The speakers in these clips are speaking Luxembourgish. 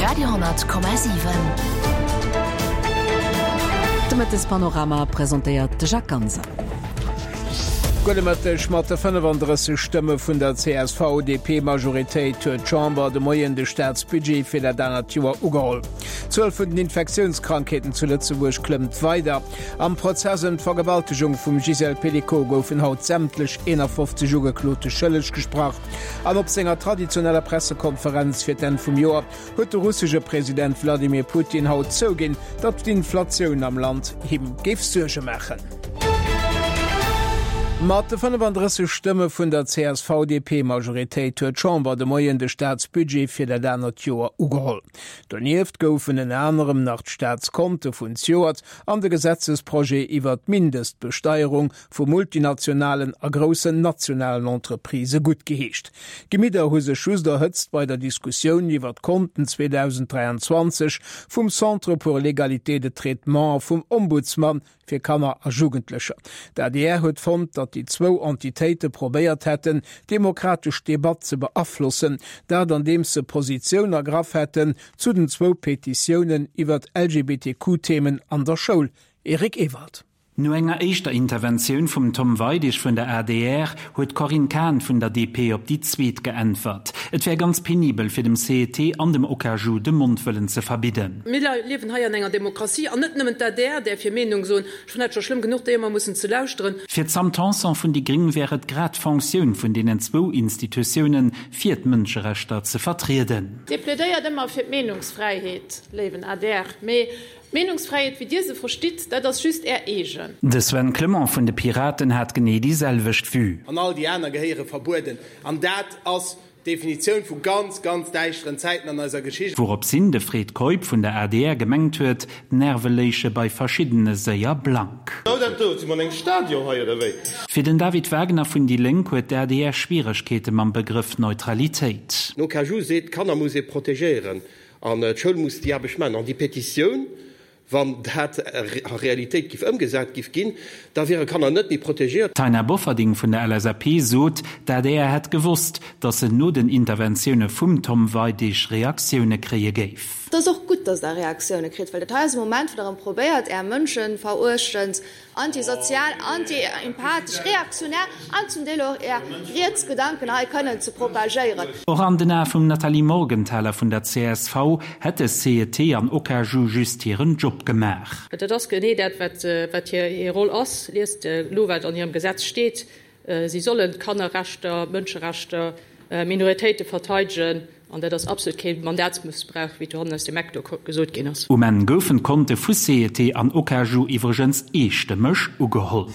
Radio,7. De Mëttespanorama presentéiert de Jacques Ganser. Gudde Mëtteg. Mat de 35 Stëmme vun der CSV-DP-Majoritéit huet d'Chamber de Moien de Staatsbudget fir dat anert Joer ugeholl. D'Zuel vun den Infektiounskrankheeten zu Lëtzebuerg klëmmt weider. Am Prozess ëm d'Vergewaltegung vum Gisèle Pelicot goufen haut sämtlech 51 Ugeklote schëlleg gesprach. An op senger traditioneller Pressekonferenz fir d'Enn vum Joer huet de russesche President Wladimir Putin haut zouginn, datt d'Inflatioun am Land him géif Suerge maachen. Mat de 35 Stëmme vun der CSV-DP-Majoritéit huet d'Chamber de Moien de Staatsbudget fir dat anert Joer ugeholl. Donieft goufen ënner anerem nach d'Staatskonte vun zejoert an de Gesetzesprojet iwwert d'Mindestbesteierung vu multinationalen a groussen nationalen Entreprisë guttgeheescht. D'Gemidder hu sech just erhëtzt bei der Diskussioun iwwer d'Konten 2023 vum Centre pour l'égalité de traitement a vum Ombudsman fir Kanner a Jugendlecher. D'adr huet fonnt, datt déi zwou Entitéite probéiert hätten, d'demokratesch Debatt ze beaflossen, dat andeems se Positioun ergraff hätten zu den zwou Petitiounen iwwer LGBTQ-Themen an der Schoul. Eric Ewald. No enger éischter Interventioun vum Tom Weidig vun der adr huet d'Corinne Cahen vun der DP op déi zweet geäntwert. Et wär ganz penibel fir dem CET an dem OKAJU de Mond wëllen ze verbidden. Mir liewen hei an enger Demokratie an net nëmmen d'ADR däerf hir Meenung soen. Ech fannen dat scho schlëmm genuch, déi ëmmer mussen ze lauschteren. Fir d'Sam Tanson vun déi gréng wär et grad d'Fonctioun vun deenen zwou Institutiounen, fir d'Mënscherechter ze vertrieden. Dir plädéiert ëmmer fir d'Meenungsfräiheet, léiwen adr, mee D'Meenungsfräiheet, wéi Dir se verstitt, dat ass just Är eegen. De Sven Clement vun de Piraten hat genee déi selwecht Vue. An all déi aner gehéiere verbueden. An dat ass d'Definitioun vu ganz, ganz däischteren Zäiten an eiser Geschicht. Wouropshin de Fred Keup vun der adr gemengt huet, d'Nerve léiche bei verschiddene séier blank. Genau dat do. Si mer an engem Stadion hei, oder wéi? Fir den David Wagner vun déi Lénk huet d'ADR Schwieregkeete mam Begrëff Neutralitéit. Den OKaju seet, d'Kanner muss ee protegéieren. An d'Schoul muss déi Aarbecht maachen. An déi Petitioun, wann dat a Realitéit giff ëmgesat giff ginn, da wiere Kanner net méi protegéiert. D'Taina Bofferding vun der LSAP sot, d'ADR hätt gewosst, datt se no den Interventioune vum Tom Weidig Reaktioune kréie géif. Et ass och gutt, datt Der Reaktioune kritt, well dat hei ass e Moment, wou Der erëm probéiert, Är mënscheveruechtend Antisozial, anti-empathesch, reaktionär an zum Deel och är riets Gedanken hei kënnen ze propagéieren. Och an den Ae vum Nathalie Morgenthaler vun der csv hätte CET an OKAJU just hiren Job gemaach. Dat ass genee dat, wat hir Roll ass. Liest elo, wat an hirem Gesetz steet, Si sollen d'Kannerrechter, d'Mënscherechter, Minoritéite verteidegen. An dat ass absolut kee Mandatsmëssbrauch, wéi dohannen aus dem Eck do gesot ginn ass. Um Enn goufen d'Konte vu CET an OKAJU iwwregens eestëmmeg ugeholl.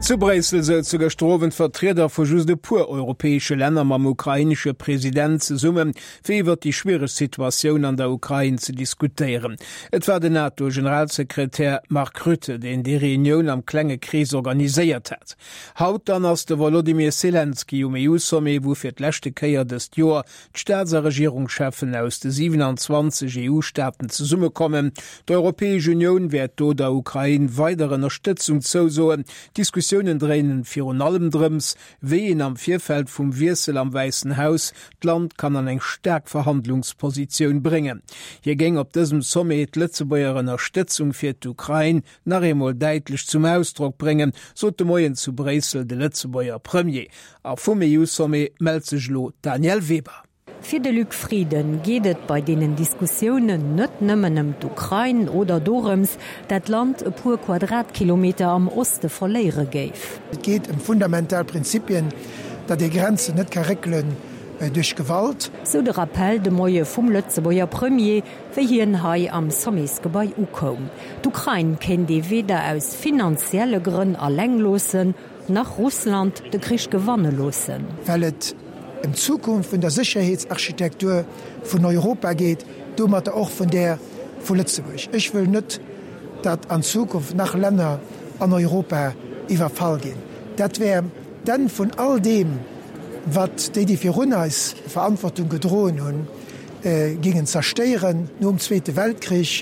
Zu Bréissel souze gëschter Owend Vertrieder vu just e puer europäesche Länner mam ukrainesche President zesummen, fir iwwer déi schwiereg Situatioun an der Ukrain ze diskutéieren. Et war den NATO-Generalsekretär Mark Rutte, deen déi Reunioun am klenge Krees organiséiert hat. Haut dann ass de Wolodymyr Selenskyj um EU-Sommet, wou fir d'leschte Kéier dëst Joer d'Staats a Regierungscheffen aus de 27 EU-Staaten zesummekommen. D'Europäesch Unioun wäert do der Ukrain weider Ënnerstëtzung zousoen. D'Diskussiounen dréinen virun allem drëms, wéi een am Virfeld vum Wiessel am Wäissen Haus d'Land kann an eng staark Verhandlungspositioun bréngen. Hie géing op dësem Sommet d'Lëtzebuerger Ënnerstëtzung fir d'Ukrain nach eemol däitlech zum Ausdrock bréngen, sot de Moien zu Bréissel de Lëtzebuerger Premier. A vum EU-Sommet mellt sech elo d'Danièle Weber. Fir de Luc Frieden geet et bei deenen Diskussiounen net nëmmen ëm d'Ukrain oder dorëms, dat d'Land e puer Quadratkilometer am Oste verléiere géif. Et geet ëm fundamental Prinzipien, datt ee Grenzen net ka réckelen duerch Gewalt. Sou de Rappell de Moie vum Lëtzebuerger Premier, wéi hien hei am Sommetsgebai ukoum. D'Ukrain kéint ee weder aus finanzielle Grënn alleng loossen, Nach Russland de Krich gewanne loossen. Well et ëm d'Zukunft vun der Sécherheetsarchitektur vun Europa geet, domatter och vun där vu Lëtzebuerg. Ech wëll net, datt an Zukunft nach Länner an Europa iwwerfall ginn. Dat wär d'Enn vun all deem, wat déi, déi virun eis Verantwortung gedroen hunn, géingen zerstéieren nom Zweete Weltkrich.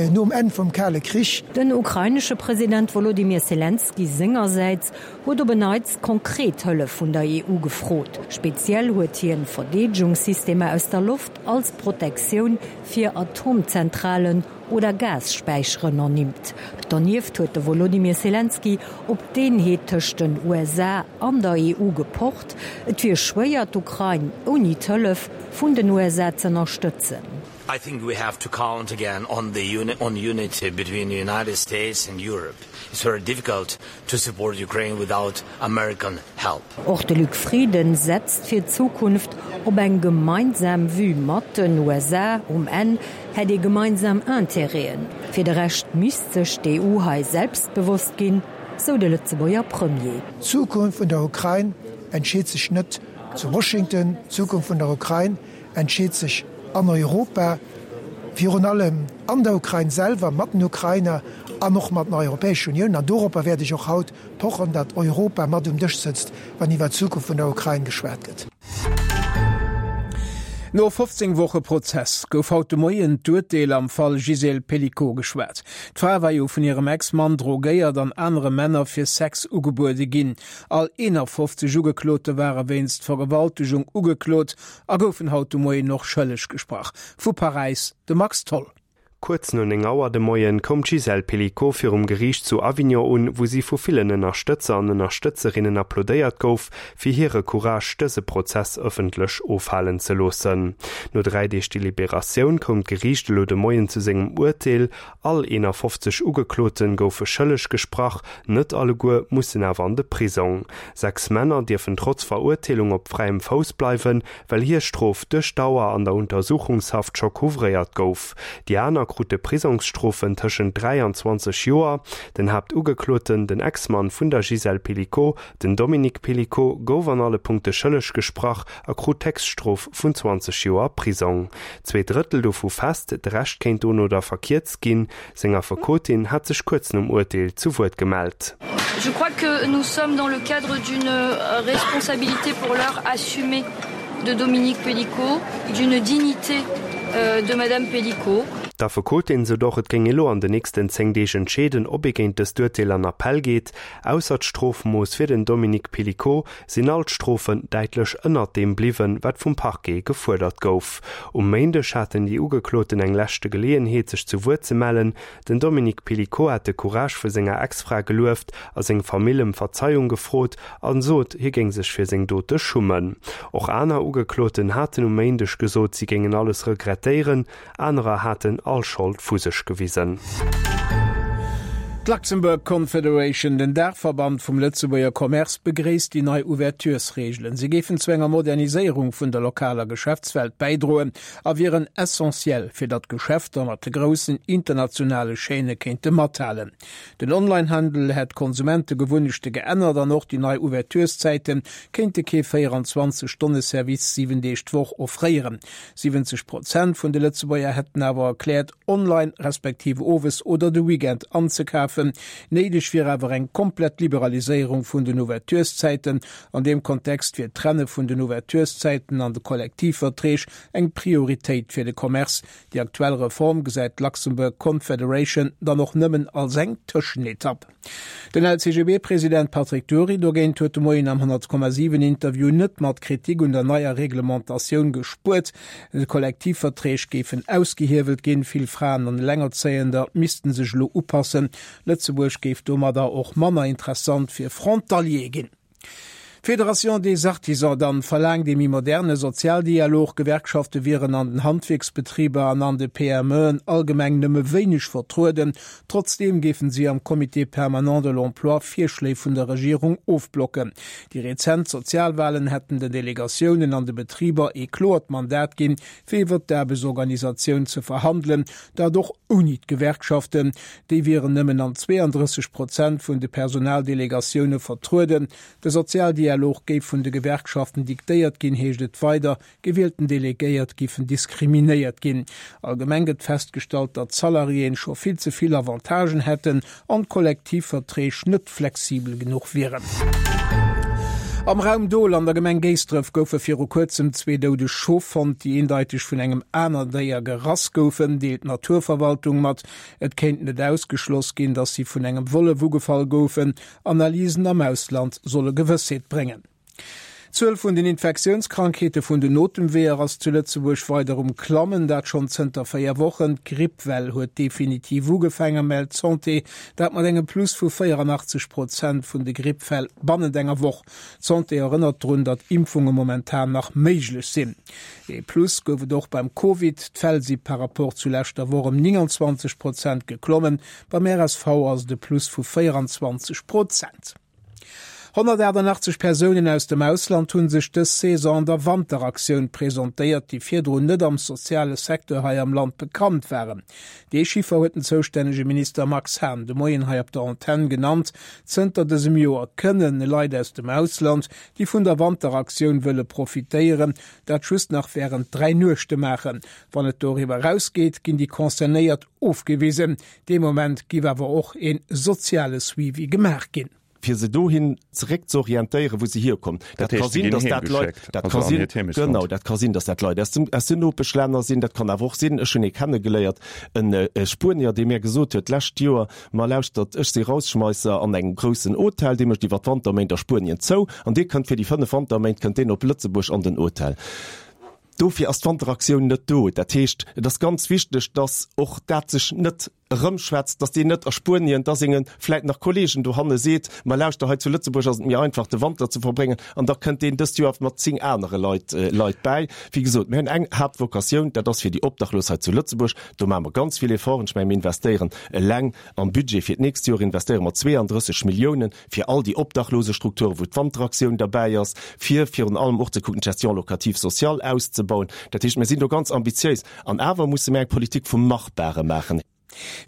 nom Enn vum Kale Krich. Den ukrainesche President Wolodymyr Selenskyj sengersäits huet op en Neits konkret Hëllef vun der EU gefrot. Speziell huet hien Verdeedegungssystemer aus der Loft als Protektioun fir Atomzentralen oder Gasspäicheren ernimmt. Donieft huet de Wolodymyr Selenskyj op d'Eenheet tëscht den USA an der EU gepocht. Et wier schwéier, d'Ukrain ouni d'Hëllef vun den USA z'ënnerstëtzen. I think we have to count again on the on unity between the United States and Europe. It's very difficult to support Ukraine without American help. Och de Luc Frieden setzt fir d'Zukunft op eng gemeinsam Vue mat den USA. Um Enn hätt ee gemeinsam Interêten. Fir de Rescht misst sech d'EU hei selbstbewosst ginn, sou de Lëtzebuerger Premier. D'Zukunft vun der Ukrain entscheet sech net zu Washington. D'Zukunft vun der Ukrain entscheet sech an Europa, virun allem an der Ukrain selwer, mat den Ukrainer an och mat der Europäescher Unioun. An doropper wäert ech och haut pochen, datt Europa mat um Dësch sëtzt, wann iwwert d'Zukunft vun der Ukrain geschwat gëtt. No 15 Woche Prozess gouf haut de Moien d'Urteel am Fall Gisèle Pelicot geschwat. D'Fra war jo vun hirem Ex-Mann drogéiert an anere Männer fir Sex ugebuede ginn. All 51 Ugeklote ware wéinst Vergewaltegung ugeklot a goufen haut de Moien och schëlleg gesprach. Vu Paräis de Max Tholl. Kuerz no 9 Auer de Moien koum d'Gisèle Pelicot virum Geriicht zu Avignon un, wou si vu villen Ënnerstëtzer an Ënnerstëtzerinnen applaudéiert gouf, fir hire Courage, dëse Prozess ëffentlech ofhalen ze loossen. No 3 Deeg Deliberatioun koum d'Geriicht elo de Moien zu sengem Urteel. All 51 Ugeklote goufe schëlleg gesprach, net alleguer mussen awer an de Prisong. 6 Männer dierfen trotz Verurteelung op fräiem Fouss bleiwen, well hir Strof duerch d'Dauer an der Untersuchungshaft scho couvréiert gouf. Déi aner krute Prisongsstrofen tëschent 3 an 20 Joer. Den Haaptugekloten, den Ex-Mann vun der Gisèle Pelicot, den Dominique Pelicot, gouf an alle Punkte schëlleg gesprach a krut d'Héchststrof vun 20 Joer Prisong. Zweedrëttel dovu fest, de Rescht kéint dono da verkierzt ginn. Seng Affekotin hat sech kuerz nom Urteel zu Wuert gemellt. Je crois que nous sommes dans le cadre d'une responsabilité pour l'heure assumée de Dominique Pelicot, d'une dignité de Madame Pelicot. D'Affekotin sot och, et géing elo an den nächsten 10 Deeg entscheeden, ob ee géint dëst Urteel an Appell geet. Ausser d'Strofmooss fir den Dominique Pelicot sinn all d'Strofen däitlech ënnert deem bliwwen, wat vum Parquet gefuerdert gouf. Um Méindeg haten déi Ugekloten eng leschte Geleeënheet, sech zu Wuert ze mellen. Den Dominique Pelicot hat de Courage vu senger Ex-Fra gelueft a seng Famill ëm Verzeiung gefrot a sot, hie géing sech fir seng Dote schummen. Och aner Ugekloten haten um Méindeg gesot, si géingen alles regrettéieren. Anerer haten all Schold vu sech gewisen. D'Luxembourg Confederation, den Daachverband vum Lëtzebuerger Commerce, begréisst déi nei Ouverturesreegelen. Se géifen zu enger Moderniséierung vun der lokaler Geschäftswelt bäidroen a wieren essentiell, fir datt d'Geschäfter mat de groussen internationale Chaîne kéinte mathalen. Den Onlinehandel hätt d'Konsumentegewunnechte geännert an och déi nei Ouvertureszäite kéinte kee 24 Stonne Service 7 Deeg d'Woch offréieren. 70 Prozent vun de Lëtzebuerger hätten awer erkläert, online respektiv owes oder de Weekend anzekafen. Néideg wier awer eng komplett Liberaliséierung vun den Ouvertureszäiten. An deem Kontext wier d'Trenne vun den Ouvertureszäiten an de Kollektivverträg eng Prioritéit fir de Commerce. Déi aktuell Reform gesäit d'Luxembourg Confederation dann och nëmmen als eng Tëschenetapp. Den LCGB-President Patrick Dury dogéint huet de Moien am 100,7 Interview net mat Kritik un der neier Reglementatioun gespuert. Kollektivverträg géifen ausgehiewelt ginn, vill Fraen an Elengerzéiender missten sech elo upassen. Lëtzebuerg géif domadder och manner interessant fir Frontaliere ginn. D'Fédération des Artisans dann verlaangt ee méi moderne Sozialdialog. Gewerkschafte wieren an den Handwierksbetriber an an de PMEen allgemeng nëmme wéineg vertrueden. Trotzdeem géifen si am Comité permanent de l'emploi Virschléi vun der Regierung ofblocken. Déi rezent Sozialwalen hätten den Delegatiounen an de Betriber ee kloert Mandat ginn, fir iwwer d'Aarbechtsorganisatioun ze verhandelen, dat och ouni d'Gewerkschaften. Déi wieren nëmmen an 32 Prozent vun de Personaldelegatioune vertrueden. De Sozialdialog géif vun de Gewerkschaften diktéiert ginn, heescht et weider. Gewielten Delegéiert giffen diskriminéiert ginn. Allgemeng gëtt festgestallt, datt d'Salariéen scho vill ze vill Avantagen hätten an d'Kollektivverträg net flexibel genuch wieren. Am Raum Dol an der Gemeng Géisdref goufe viru kuerzem zwee doudeg Schof fonnt, déi eendeiteg vun engem aner Déier gerass goufen, deelt d'Naturverwaltung mat. Et kéint net ausgeschloss ginn, datt si vun engem Wollef ugefall goufen. Analysen am Ausland solle Gewëssheet bréngen. D'Zuel vun den Infektiounskrankheete vun den Otemweeër ass zu Lëtzebuerg weider um Klammen, dat schonn zënter 4 Wochen. D'Grippwell huet definitiv ugefaangen, mellt d'Santé, dat mat engem Plus vu 84 Prozent vun de Grippfäll bannent enger Woch. D'Santé erënnert drun, datt Impfunge momentan nach méiglech sinn. Ee Plus gouf et och beim Covid, d'Fäll si par Rapport zu leschter Woch ëm 29 Prozent geklommen, beim RSV ass et e Plus vu 24 Prozent. 188 Persounen aus dem Ausland hu sech dës Saison an der Wanteraktioun presentéiert, déi virdrun net am soziale Secteur hei am Land bekannt waren. Dee Chiffer huet den zoustännege Minister Max Hahn de Moien hei op der Antenn genannt. Zënter dësem Joer kënnen Leit aus dem Ausland, déi vun der Wanteraktioun wëlle profitéieren, dat just nach wärend 3 Nuechte maachen. Wann et doriwwer erausgeet, ginn déi Concernéiert ofgewisen. Dee Moment giff awer och een soziale Suivi gemaach ginn. Fir se dohin zeréck ze orientéieren, wou se hierkommen. Dat ka sinn, datt dat Leit, dat ka sinn, genau, dat ka sinn, datt dat Leit aus dem, aus den Nopeschlänner sinn. Dat kann awer och sinn, ech hunn ee kennegeléiert, en Spuenier, dee mir gesot huet d'lescht Joer, Ma lauschtert, ech si Rausschmeisser an engem groussen Hotel, dee mécht iwwer d'Wanterméint a Spuenien zou an dee kënnt fir déi 5 Wanterméint kënnt deen op Lëtzebuerg an den Hotel. Dofir ass d'Wanteraktioun net do. Dat heescht, et ass ganz wichteg, dass och dat sech net erëmschwätzt, dass deen net a Spuenien da senge vläit nach Kollegen dohanne seet, Ma lauschter, hei zu Lëtzebuerg ass et méi einfach, de Wanter ze verbréngen. An da kënnt deen dëst Joer mat zéng anere Leit Leit bäi. Wéi gesot, mir hunn eng Haaptvocatioun, dat ass fir déi Obdachlos hei zu Lëtzebuerg. Do maache mer ganz vill Efforten. Ech mengen, mir investéieren eleng am Budget fir d'nächst Joer investéiere mer 32 Milliounen fir all déi Obdachlosestrukturen, wou d'Wanteraktioun derbäi ass, fir virun allem och ze kucken, d'Gestion locative sociale auszebauen. Dat heescht, mir sinn do ganz ambitiéis. An awer musse mir eng Politik vum Machbare maachen.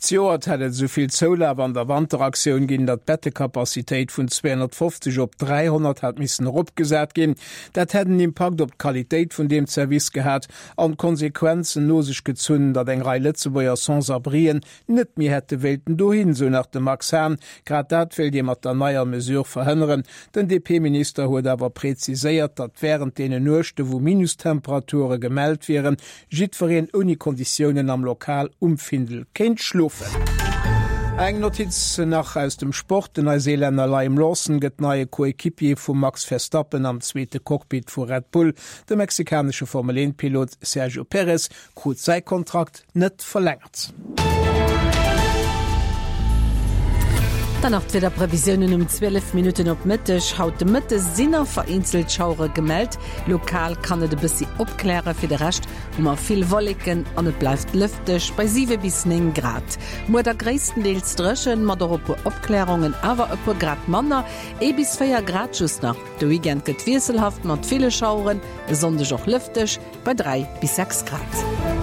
Zejoert hätt et esou vill Zoulaf an der Wanteraktioun ginn, datt d'Bettecapacitéit vun 250 op 300 hat missen eropgesat ginn. Dat hätt en Impakt op d'Qualitéit vun deem Service gehat an d'Konsequenzen no sech gezunn, datt eng Rei Lëtzebuerger Sans-abrien net méi hätte wéilten dohin, sou nach de Max Hahn. Grad dat wéilt ee mat der neier Mesure verhënneren. Den DP-Minister huet awer präziséiert, datt wärend deenen Nuechte wou Minustemperature gemellt wieren, jiddwereen ouni Konditiounen am Lokal um Findel kéint schlofen. Eng Notiz nach aus dem Sport, Den Neuseelänner Liam Lawson gëtt neie Coequipier vum Max Verstappen am zweete Cockpit vu Red Bull. De mexikanesche Formel-Eent-Pilot Sergio Perez krut säi Kontrakt net verlängert. Dann nach d'Wiederprevisiounen um 12 Minutten op Mëtteg. Haut de Mëtte sinn nach vereenzelt Schauere gemellt, lokal kann et e bëssi opklären. Fir de Rescht hu mer vill Wolleken an et bleift lëfteg bei 7 bis 9 Grad. Muer da gréisstendeels dréchen, mat och e puer Opklärungen, awer e puer Grad manner, ee bis 4 Grad just nach. De Weekend gëtt wiesselhaft mat ville Schaueren, e Sonndeg och lëfteg bei 3 bis 6 Grad.